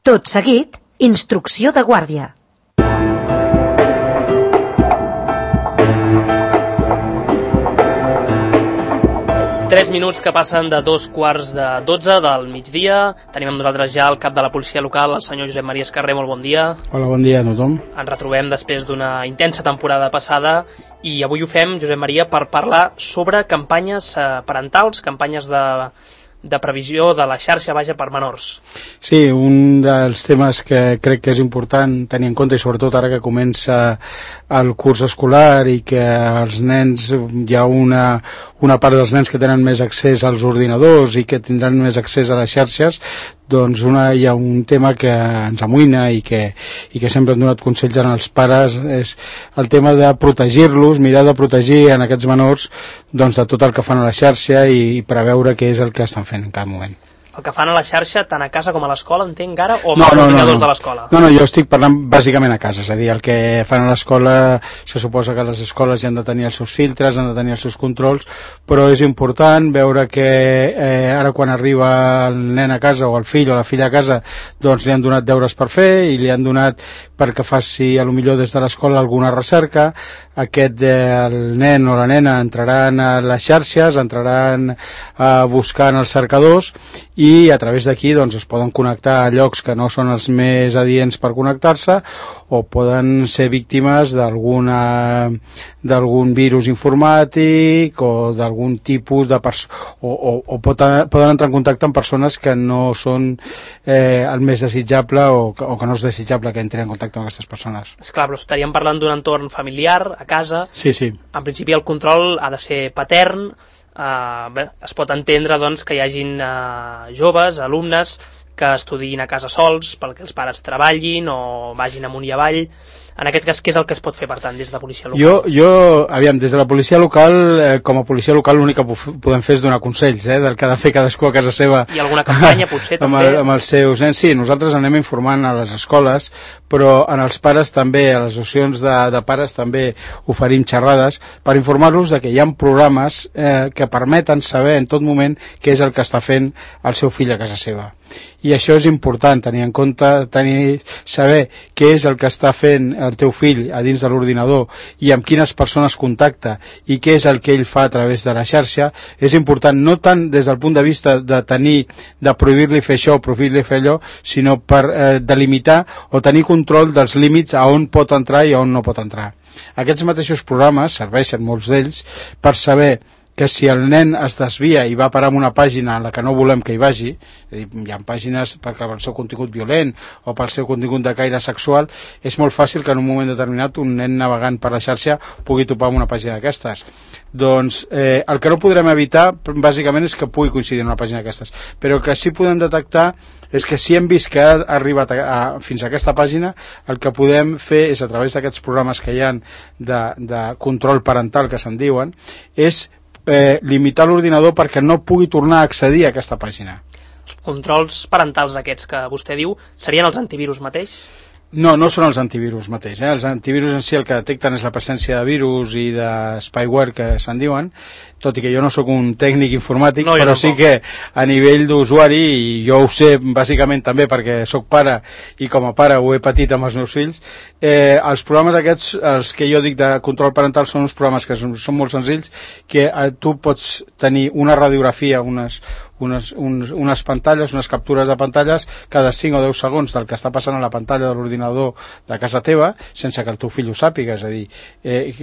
Tot seguit, instrucció de guàrdia. Tres minuts que passen de 2:15 del migdia. Tenim amb nosaltres ja el cap de la policia local, el senyor Josep Maria Escarrer. Molt bon dia. Hola, bon dia a tothom. Ens retrobem després d'una intensa temporada passada i avui ho fem, Josep Maria, per parlar sobre campanyes parentals, campanyes de previsió de la xarxa vaja per menors. Sí, un dels temes que crec que és important tenir en compte, i sobretot ara que comença el curs escolar i que els nens, hi ha una part dels nens que tenen més accés als ordinadors i que tindran més accés a les xarxes, doncs hi ha un tema que ens amoïna i que sempre hem donat consells als pares, és el tema de protegir-los, mirar de protegir en aquests menors doncs, de tot el que fan a la xarxa i preveure què és el que estan fent en cada moment. El que fan a la xarxa, tant a casa com a l'escola, entenc ara, o amb els ordinadors de l'escola? No, jo estic parlant bàsicament a casa, és a dir, el que fan a l'escola, se suposa que les escoles ja han de tenir els seus filtres, han de tenir els seus controls, però és important veure que ara quan arriba el nen a casa o el fill o la filla a casa, doncs li han donat deures per fer i li han donat perquè faci a lo millor des de l'escola alguna recerca. El nen o la nena entraran a les xarxes, entraran a buscar en els cercadors i a través d'aquí doncs, es poden connectar a llocs que no són els més adients per connectar-se o poden ser víctimes d'algun virus informàtic o d'algun tipus de o poden entrar en contacte amb persones que no són el més desitjable o que no és desitjable que entrin en contacte amb aquestes persones. Esclar, però estaríem parlant d'un entorn familiar, a casa. Sí. En principi el control ha de ser patern. Es pot entendre doncs, que hi hagin joves, alumnes que estudiïn a casa sols perquè els pares treballin o vagin amunt i avall. En aquest cas, què és el que es pot fer, per tant, des de la policia local? Aviam, des de la policia local, com a policia local, l'únic que podem fer és donar consells, del que ha de fer cadascú a casa seva. I alguna campanya, potser, també? Amb els seus nens, sí, nosaltres anem informant a les escoles, però en els pares també, a les associacions de pares també oferim xerrades per informar-los de que hi ha programes que permeten saber en tot moment què és el que està fent el seu fill a casa seva. I això és important, tenir en compte, saber què és el que està fent el teu fill a dins de l'ordinador i amb quines persones contacta i què és el que ell fa a través de la xarxa, és important no tant des del punt de vista de prohibir-li fer això o prohibir-li fer allò, sinó per delimitar o tenir control dels límits a on pot entrar i a on no pot entrar. Aquests mateixos programes serveixen, molts d'ells, per saber que si el nen es desvia i va parar en una pàgina en la que no volem que hi vagi, és a dir, hi ha pàgines perquè pel seu contingut violent o pel seu contingut de caire sexual, és molt fàcil que en un moment determinat un nen navegant per la xarxa pugui topar amb una pàgina d'aquestes. Doncs el que no podrem evitar bàsicament és que pugui coincidir en una pàgina d'aquestes, però que sí podem detectar és que si hem vist que ha arribat fins a aquesta pàgina, el que podem fer és, a través d'aquests programes que hi ha de control parental que se'n diuen, és limitar l'ordinador perquè no pugui tornar a accedir a aquesta pàgina. Els controls parentals aquests que vostè diu serien els antivirus mateix? No són els antivirus mateix. Els antivirus en si el que detecten és la presència de virus i de spyware que se'n diuen, tot i que jo no sóc un tècnic informàtic, però sí que a nivell d'usuari, i jo ho sé bàsicament també perquè sóc pare i com a pare ho he patit amb els meus fills, els programes aquests, els que jo dic de control parental, són uns programes que són molt senzills, que tu pots tenir una radiografia, unes pantalles, unes captures de pantalles cada 5 o 10 segons del que està passant a la pantalla de l'ordinador de casa teva, sense que el teu fill ho sàpiga, és a dir,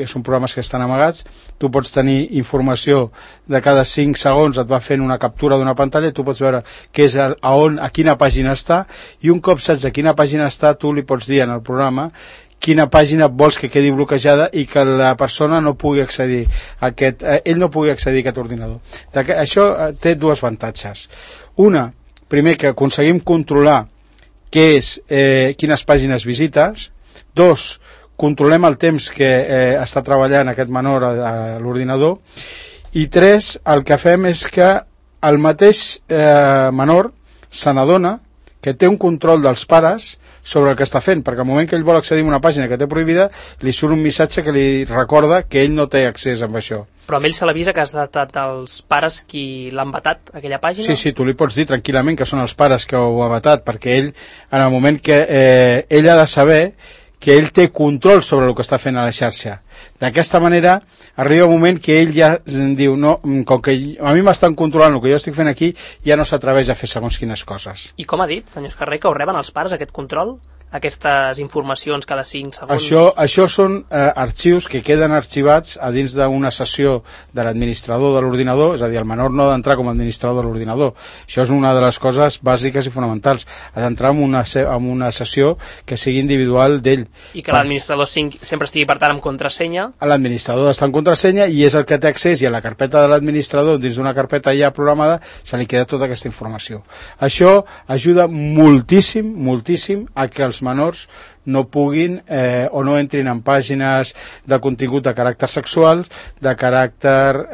són programes que estan amagats, tu pots tenir informació de cada 5 segons, et va fent una captura d'una pantalla i tu pots veure què és a quina pàgina està, i un cop saps a quina pàgina està, tu li pots dir en el programa quina pàgina vols que quedi bloquejada i que la persona no pugui accedir ell no pugui accedir a aquest ordinador. Això té dos avantatges. Una, primer, que aconseguim controlar quines pàgines visites. Dos, controlem el temps que està treballant aquest menor a l'ordinador. I tres, el que fem és que el mateix menor se n'adona que té un control dels pares sobre el que està fent, perquè al moment que ell vol accedir a una pàgina que té prohibida, li surt un missatge que li recorda que ell no té accés amb això. Però amb ell se l'avisa que has datat els pares qui l'han vetat, aquella pàgina? Sí, tu li pots dir tranquil·lament que són els pares que ho ha vetat, perquè ell, en el moment que ell ha de saber que ell té control sobre el que està fent a la xarxa. D'aquesta manera, arriba un moment que ell ja diu, no, com que a mi m'estan controlant el que jo estic fent aquí, ja no s'atreveix a fer segons quines coses. I com ha dit, senyor Escarrer, que ho reben els pares, aquest control? Aquestes informacions cada 5 segons? Això són arxius que queden arxivats a dins d'una sessió de l'administrador de l'ordinador, és a dir, el menor no ha d'entrar com a administrador de l'ordinador. Això és una de les coses bàsiques i fonamentals. Ha d'entrar en una sessió que sigui individual d'ell. I que l'administrador sempre estigui, per tant, amb contrasenya? L'administrador està en contrasenya i és el que té accés, i a la carpeta de l'administrador, dins d'una carpeta ja programada, se li queda tota aquesta informació. Això ajuda moltíssim, moltíssim a que els menors no puguin o no entrin en pàgines de contingut de caràcter sexual, de caràcter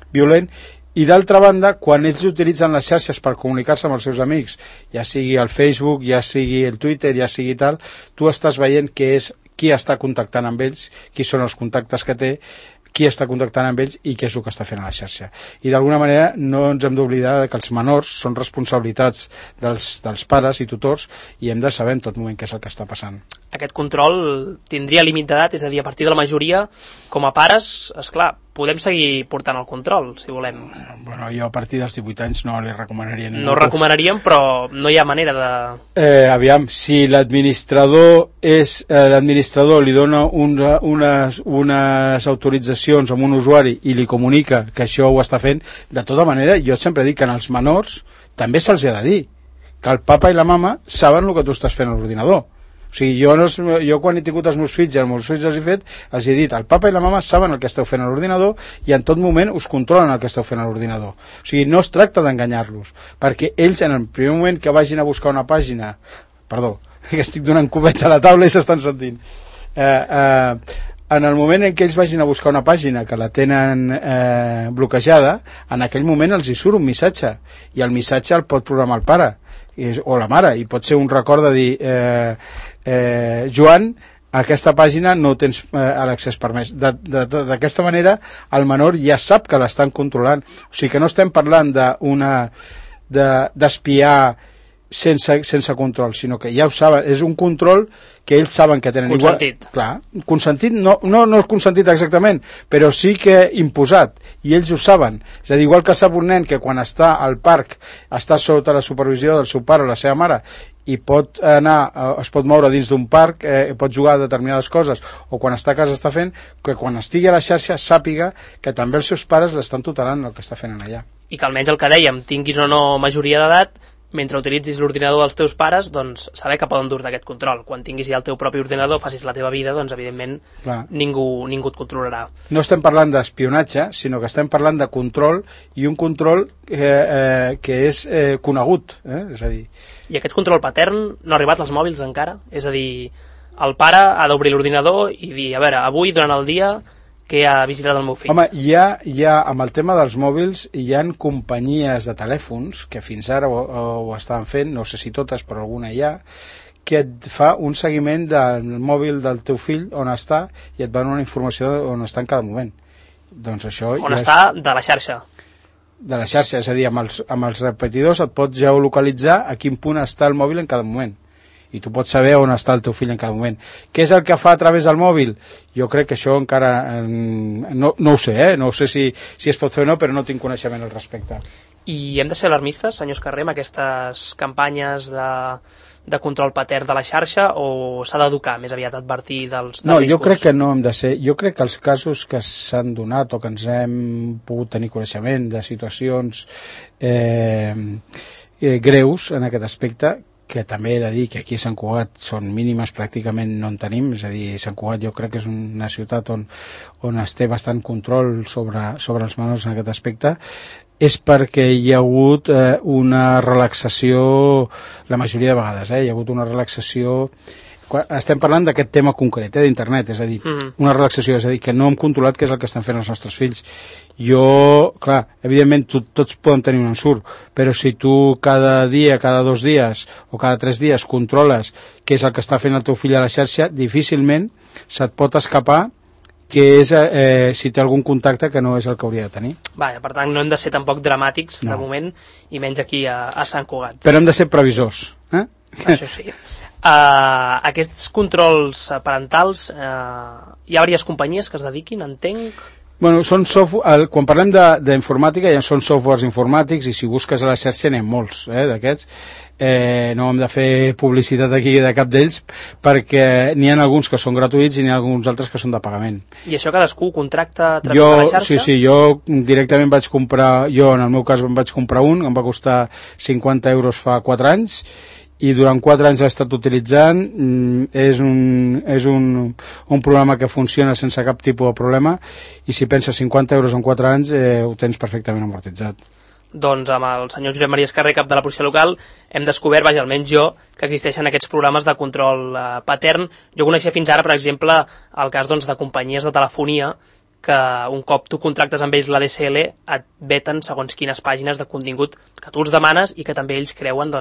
violent. I d'altra banda, quan ells utilitzen les xarxes per comunicar-se amb els seus amics, ja sigui el Facebook, ja sigui el Twitter, ja sigui tal, tu estàs veient que és qui està contactant amb ells, qui són els contactes que té, qui està contactant amb ells i què és el que està fent a la xarxa. I d'alguna manera no ens hem d'oblidar que els menors són responsabilitats dels pares i tutors i hem de saber en tot moment què és el que està passant. Aquest control tindria límit d'edat, és a dir, a partir de la majoria, com a pares, esclar, podem seguir portant el control, si volem. Bueno, jo a partir dels 18 anys no li recomanaria ningú. No recomanaríem, però no hi ha manera de... Aviam, si l'administrador li dona unes autoritzacions amb un usuari i li comunica que això ho està fent, de tota manera, jo sempre dic que en els menors també se'ls ha de dir que el papa i la mama saben el que tu estàs fent a l'ordinador. O sigui, jo quan he tingut els meus fills i els meus fills els he dit, el papa i la mama saben el que esteu fent a l'ordinador i en tot moment us controlen el que esteu fent a l'ordinador. O sigui, no es tracta d'enganyar-los, perquè ells en el primer moment que vagin a buscar una pàgina, perdó, que estic donant copets a la taula i s'estan sentint, en el moment en què ells vagin a buscar una pàgina que la tenen bloquejada, en aquell moment els hi surt un missatge i el missatge el pot programar el pare o la mare, i pot ser un record de dir Joan, a aquesta pàgina no tens l'accés permès. D'aquesta manera el menor ja sap que l'estan controlant, o sigui que no estem parlant d'espiar sense control, sinó que ja ho saben, és un control que ells saben que tenen. Consentit. Clar, consentit, no consentit exactament, però sí que imposat, i ells ho saben. És a dir, igual que sap un nen que quan està al parc està sota la supervisió del seu pare o la seva mare i pot anar, es pot moure dins d'un parc, pot jugar a determinades coses, o quan està a casa està fent, que quan estigui a la xarxa sàpiga que també els seus pares l'estan tutelant el que està fent allà. I que almenys el que dèiem, tinguis o no majoria d'edat, mentre utilitzis l'ordinador dels teus pares, doncs saber que poden dur-te aquest control. Quan tinguis ja el teu propi ordinador, facis la teva vida, doncs evidentment ningú et controlarà. No estem parlant d'espionatge, sinó que estem parlant de control, i un control que és conegut, és a dir... I aquest control patern no ha arribat als mòbils encara? És a dir, el pare ha d'obrir l'ordinador i dir, a veure, avui durant el dia que ha visitat el meu fill. Home, hi ha amb el tema dels mòbils, hi ha companyies de telèfons que fins ara ho estaven fent, no sé si totes, però alguna hi ha, que et fa un seguiment del mòbil del teu fill, on està, i et va donar una informació on està en cada moment. Doncs això on està de la xarxa. De la xarxa, és a dir, amb els repetidors et pots geolocalitzar a quin punt està el mòbil en cada moment. I tu pots saber on està el teu fill en cada moment. Què és el que fa a través del mòbil? Jo crec que això encara no ho sé, no sé si es pot fer o no, però no tinc coneixement al respecte. I hem de ser alarmistes, senyor Escarrer, amb aquestes campanyes de control patern de la xarxa, o s'ha d'educar, més aviat advertir dels riscos? No, jo crec que no hem de ser. Jo crec que els casos que s'han donat o que ens hem pogut tenir coneixement de situacions greus en aquest aspecte, que també he de dir que aquí a Sant Cugat són mínimes, pràcticament no en tenim, és a dir, Sant Cugat jo crec que és una ciutat on es té bastant control sobre els menors en aquest aspecte, és perquè hi ha hagut una relaxació, la majoria de vegades, hi ha hagut una relaxació estem parlant d'aquest tema concret, d'internet, és a dir, una relaxació, és a dir, que no hem controlat què és el que estan fent els nostres fills. Jo, clar, evidentment tots poden tenir un ensurt, però si tu cada dia, cada 2 dies o cada 3 dies controles què és el que està fent el teu fill a la xarxa, difícilment se't pot escapar que és si té algun contacte que no és el que hauria de tenir. Vaja, per tant, no hem de ser tampoc dramàtics de moment, i menys aquí a Sant Cugat. Però hem de ser previsors. Això sí. Aquests controls parentals, hi ha diverses companyies que es dediquin, entenc... Bueno, són quan parlem d'informàtica ja són softwares informàtics, i si busques a la xarxa n'hi ha molts d'aquests. No hem de fer publicitat aquí de cap d'ells, perquè n'hi ha alguns que són gratuïts i n'hi ha alguns altres que són de pagament. I això cadascú contracta a través de la xarxa? Sí, jo directament vaig comprar, en el meu cas em vaig comprar un, em va costar 50 euros fa 4 anys, i durant 4 anys l'he estat utilitzant. És un programa que funciona sense cap tipus de problema, i si penses 50 euros en 4 anys ho tens perfectament amortitzat. Doncs amb el senyor Josep Maria Escarrer, cap de la policia local, hem descobert, almenys jo, que existeixen aquests programes de control patern. Jo coneixia fins ara, per exemple, el cas de companyies de telefonia, que un cop tu contractes amb ells la DSL et veten segons quines pàgines de contingut que tu els demanes i que també ells creuen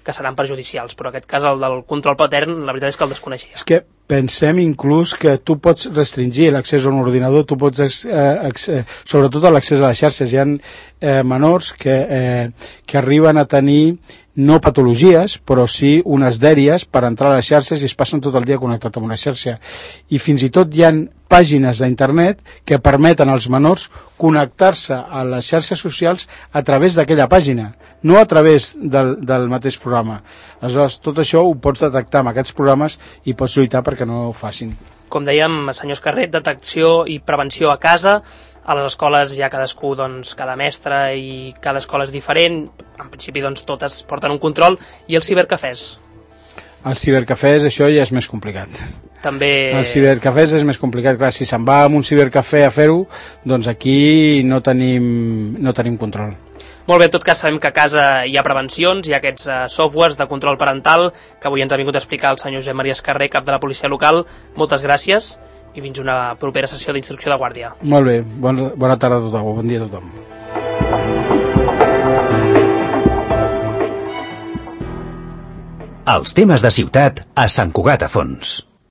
que seran perjudicials, però aquest cas, el del control patern, la veritat és que el desconeixia. És que pensem inclús que tu pots restringir l'accés a un ordinador, tu pots, sobretot a l'accés a les xarxes. Hi ha menors que arriben a tenir no patologies, però sí unes dèries per entrar a les xarxes i es passen tot el dia connectat amb una xarxa. I fins i tot hi ha pàgines d'internet que permeten als menors connectar-se a les xarxes socials a través d'aquella pàgina, no a través del mateix programa. Aleshores, tot això ho pots detectar amb aquests programes i pots lluitar perquè no ho facin. Com dèiem, senyor Escarret, detecció i prevenció a casa. A les escoles hi ha cadascú, cada mestre, i cada escola és diferent. En principi, totes porten un control. I els cibercafès? Els cibercafès, això ja és més complicat. També... Els cibercafès és més complicat. Clar, si se'n va a un cibercafè a fer-ho, doncs aquí no tenim control. Molt bé, en tot cas sabem que a casa hi ha prevencions, hi ha aquests softwares de control parental que avui ens ha vingut a explicar el senyor Josep Maria Escarrer, cap de la policia local. Moltes gràcies i fins una propera sessió d'instrucció de guàrdia. Molt bé, bona tarda a tothom, bon dia a tothom. Els temes de ciutat a Sant Cugat a Fons.